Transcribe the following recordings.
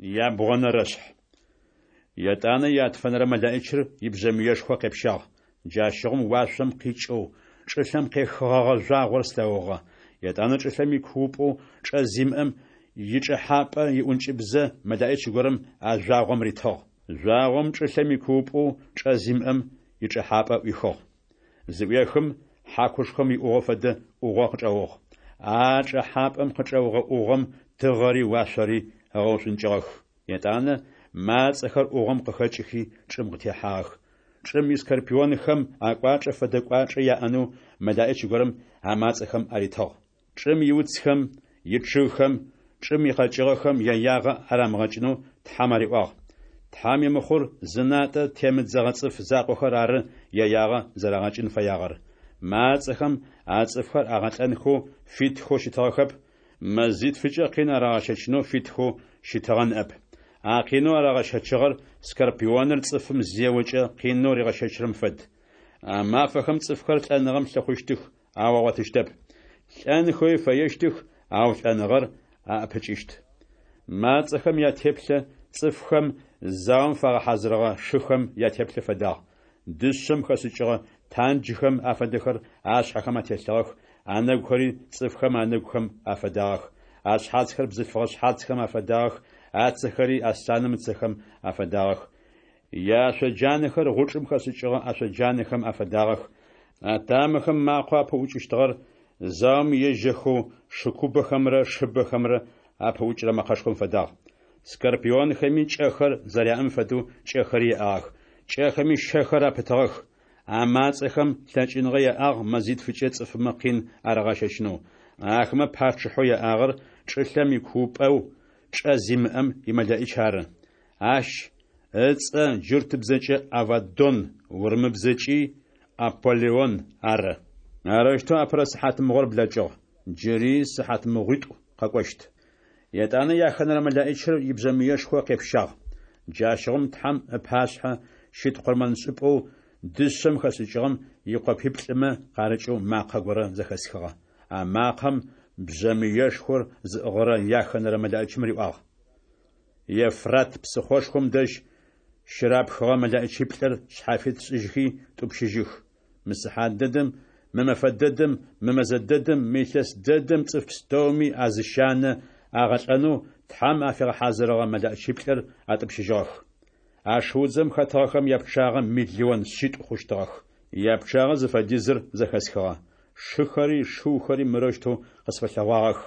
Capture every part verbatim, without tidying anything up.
Ябгъонэрэшъхь. Етӏанэ ятфэнэрэ мэлэӏичыр ибжъэмыешхо къепщагъ. Джащыгъум уашъом къикӏэу, чӏылъэм къехыгъэгъэ жъуагъор слъэгъугъэ. Етӏанэ чӏылъэм икуупӏэу чӏэ зимыӏэм ичӏэхьапӏэ иӏункӏыбзэ мэлэӏич горэм а жъуагъом ритыгъ. Жъуагъом чӏылъэм икуупӏэу чӏэ зимыӏэм ичӏэхьапӏэ ӏуихыгъ. Зыӏуехым, хьакушхом иӏугъо фэдэ ӏугъо къычӏэугъ. А чӏэхьапӏэм къычӏэугъэ ӏугъом тыгъэри уашъори ыгъэушӏункӏыгъэх. Етӏанэ мацӏэхэр ӏугъом къыхэкӏыхи чӏым къытехьагъэх. Чӏым искорпионхэм акӏуачӏэ фэдэ кӏуачӏэ яӏэнэу мэлэӏич горэм а мацӏэхэм аритыгъ. Чӏым иуцхэм, ичъыгхэм, чӏым икъэкӏыгъэхэм яягъэ арамыгъэкӏынэу Тхьэм ариӏуагъ. Тхьэм имыхъур зынатӏэ темыдзэгъэ цӏыф закъохэр ары яягъэ зэрагъэкӏын фэягъэр. Мацӏэхэм а цӏыфхэр агъэлӏэнхэу фитхэу щытыгъэхэп, мэзитфыкӏэ къин арагъэщэчынэу фитхэу щытыгъэ ныӏэп. А къинэу арагъэщэчыгъэр скорпионыр цӏыфым зеокӏэ къинэу ригъэщэчрэм фэд. А мафэхэм цӏыфхэр лӏэныгъэм лъыхъущтых, ау агъотыщтэп. Лӏэнхэуи фэещтых, ау лӏэныгъэр аӏэпыкӏыщт. Мацӏэхэм ятеплъэ цӏыфхэм заом фагъэхьазырыгъэ шыхэм ятеплъэ фэдагъ. Дышъэм хэшӏыкӏыгъэ танджхэм афэдэхэр ашъхьэхэм ателъыгъэх, анэгухэри цӏыфхэм анэгухэм афэдагъэх. Ашъхьацхэр бзылъфыгъэ шъхьацхэм афэдагъэх, ацэхэри аслъаным ыцэхэм афэдагъэх. Яашъоджанэхэр гъучӏым хэшӏыкӏыгъэ ашъоджанэхэм афэдагъэх. Атамэхэм макъэу апыӏукӏыщтыгъэр заом ежьэхэу шыкубэхэмрэ шыбэхэмрэ апыӏукӏырэ мэкъэшхом фэдагъ. Скорпионхэми кӏэхэр зэряӏэм фэдэу кӏэхэри яӏагъэх, кӏэхэми щэхэр апытыгъэх. А мацӏэхэм лъэкӏыныгъэ яӏагъ мэзитфыкӏэ цӏыфмэ къин арагъэщэчынэу. Ахэмэ пачъыхьэу яӏагъэр чӏылъэм икуупӏэу чӏэ зимыӏэм имэлэӏич ары. Ащ ыцӏэ джуртыбзэкӏэ Аваддон, урымыбзэкӏи Аполлион ары. Арэущтэу апэрэ сыхьатмыгъор блэкӏыгъ. Джыри сыхьатмыгъуитӏу къэкӏощт. Етӏанэ яхэнэрэ мэлэӏичыр ибжъэмыешхо къепщагъ. Джащыгъум Тхьэм ыпашъхьэ щыт къурмэншӏыпӏэу дышъэм хэшӏыкӏыгъэм икъопиплӏымэ къарыкӏэу макъэ горэ зэхэсхыгъэ. А макъэм бжъэмыешхор зыӏыгъырэ яхэнэрэ мэлэӏичым риӏуагъ: Евфрат псыхъошхом дэжь щырапхыгъэ мэлэӏичиплӏыр шъхьафит шӏыжьхи тӏупщыжьых. Мы сыхьат дэдэм, мы мэфэ дэдэм, мы мэзэ дэдэм, мы илъэс дэдэм цӏыф пстэуми азыщанэ агъэлӏэнэу Тхьэм афигъэхьазырыгъэ мэлэӏичиплӏыр атӏупщыжьыгъэх. А шыудзэм хэтыгъэхэм япчъагъэ миллион шъитӏу хъущтыгъэх. Япчъагъэ зыфэдизыр зэхэсхыгъэ. Шыхэри шыухэри мырэущтэу къысфэлъэгъуагъэх: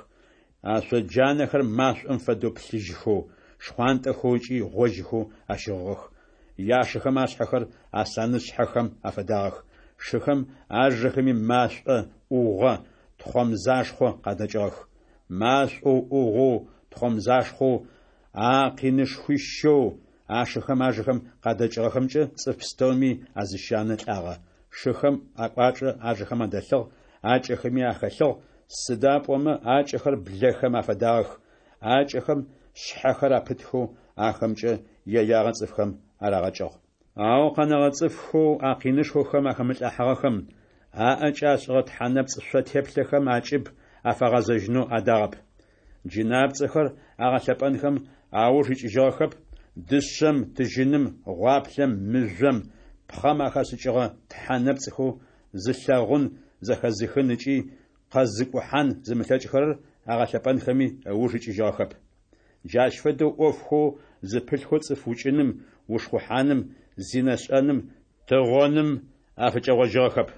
ашъоджанэхэр машӏом фэдэу плъыжьхэу, шхъуантӏэхэу ыкӏи гъожьхэу ащыгъыгъэх. Яшыхэм ашъхьэхэр аслъанышъхьэхэм афэдагъэх. Шыхэм ажэхэми машӏо, ӏугъо, тхъомзашхъо къадэкӏыгъэх. Машӏоу, ӏугъоу, тхъомзашхъоу, а къинышхуищэу ашыхэм ажэхэм къадэкӏыгъэхэмкӏэ цӏыф пстэуми азыщанэ лӏагъэ. Шыхэм акӏуачӏэ ажэхэм адэлъыгъ, акӏэхэми ахэлъыгъ, сыда пӏомэ акӏэхэр блэхэм афэдагъэх, акӏэхэм шъхьэхэр апытхэу ахэмкӏэ яягъэ цӏыфхэм арагъэкӏыгъ. Ау къэнэгъэ цӏыфхэу а къинышхохэм ахэмылӏыхьагъэхэм, аӏэкӏэ ашӏыгъэ тхьэ нэпцӏ шъо теплъэхэм акӏыб афагъэзэжьынэу адагъэп. Джынапцӏэхэр агъэлъэпӏэнхэм ауж икӏыжьыгъэхэп, дышъэм, тыжьыным, гъуаплъэм, мыжъом, пхъэм ахэшӏыкӏыгъэ тхьэ нэпцӏхэу зылъэгъун, зэхэзыхын ыкӏи къэзыкӏухьан зымылъэкӏхэрэр агъэлъэпӏэнхэми ыуж икӏыжьыгъэхэп. Джащ фэдэу ӏофхэу зыпылъхэу цӏыф укӏыным, ушхъухьаным, зинэ шӏэным, тыгъоным афыкӏэгъожьыгъэхэп.